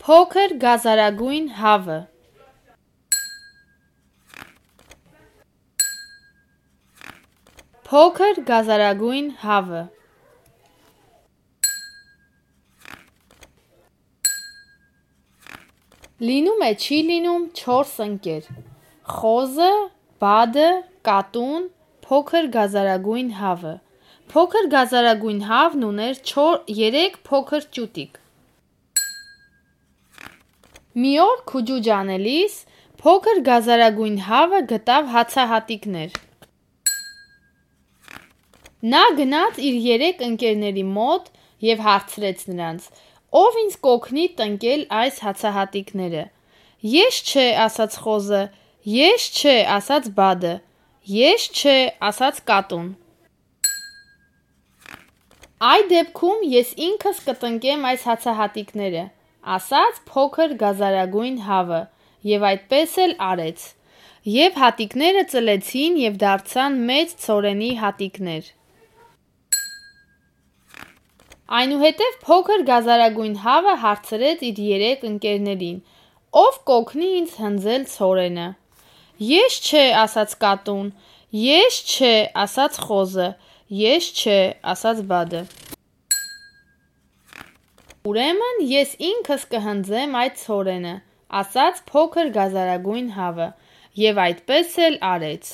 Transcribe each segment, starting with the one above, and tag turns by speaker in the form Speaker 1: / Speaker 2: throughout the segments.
Speaker 1: Փոքր գազարագույն հավը Փոքր գազարագույն հավը Լինում է չի լինում 4 ընկեր խոզը, բադը, կատուն, փոքր գազարագույն հավը Փոքր գազարագույն հավն ուներ 3 փոքր ճուտիկ Մի օր քուջուջ անելիս փոքր գազարագույն հավը գտավ հացահատիկներ Նա գնաց իր 3 ընկերների մոտ և հարցրեց նրանց Ով ինձ կօգնի տնկել այս հացահատիկները Ես չէ ասաց խոզը Ես չէ ասաց բադը Ես չէ ասաց կատուն Այդ դեպքում ես ինքս կտնկեմ այս հացահատիկները ասաց փոքր գազարագույն հավը և այդպես էլ արեց և հատիկները ծլեցին և դարձան մեծ ցորենի հատիկներ Այնուհետև փոքր գազարագույն հավը հարցրեց իր 3 ընկերներին Ով կօգնի ինձ հնձել ցորենը Ես չէ ասաց կատուն Ես չէ ասաց խոզը Ես չէ ասաց բադը Ուրեմն ես ինքս կհնձեմ այդ ցորենը ասաց փոքր գազարագույն հավը և այդպես էլ արեց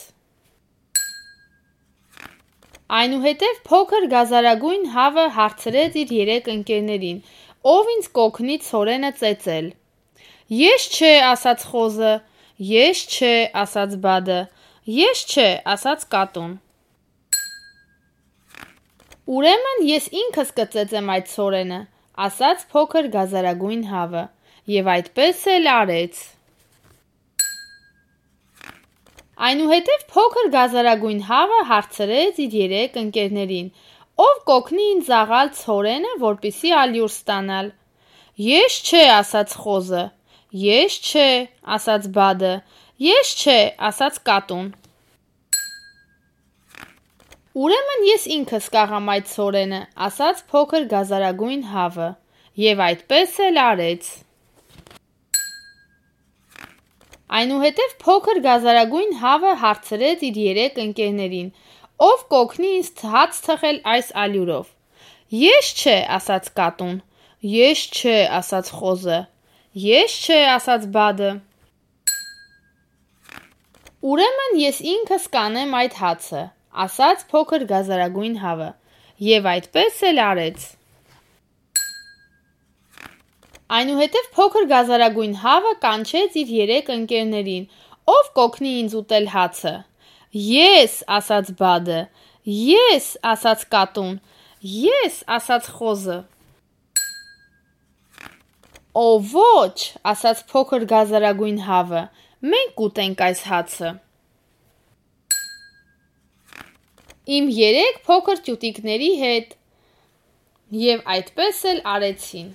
Speaker 1: Այնուհետև փոքր գազարագույն հավը հարցրեց իր 3 ընկերներին Ով ինձ կօգնի ցորենը ծեծել Ես չէ ասաց խոզը Ես չէ ասաց բադը Ես չէ ասաց կատուն Ուրեմն ես ինքս կծեծեմ այդ ցորենը ասաց փոքր գազարագույն հավը և այդպես էլ արեց Այնուհետև փոքր գազարագույն հավը հարցրեց իր 3 ընկերներին Ով կօգնի ինձ զաղալ ցորենը, որպեսզի ալյուր ստանալ Ես չէ ասաց խոզը Ես չէ ասաց բադը Ես չէ ասաց կատուն Ուրեմն ես ինքս կաղամ այդ ցորենը ասաց փոքր գազարագույն հավը և այդպես էլ արեց Այնուհետև փոքր գազարագույն հավը հարցրեց իր 3 ընկերներին Ով կօգնի ինձ հաց թխել այս ալյուրով Ես չէ ասաց կատուն Ես չէ ասաց խոզը Ես չէ ասաց բադը Ուրեմն ես ինքս կանեմ այդ հացը ասաց փոքր գազարագույն հավը և այդպես էլ արեց Այնուհետև փոքր գազարագույն հավը կանչեց իր 3 ընկերներին Ով կօգնի ինձ ուտել հացը Ես ասաց բադը Ես ասաց կատուն Ես ասաց խոզը Օ ոչ ասաց փոքր գազարագույն հավը Մենք կուտենք այս հացը Իմ 3 փոքր ճուտիկների հետ և այդպես էլ արեցին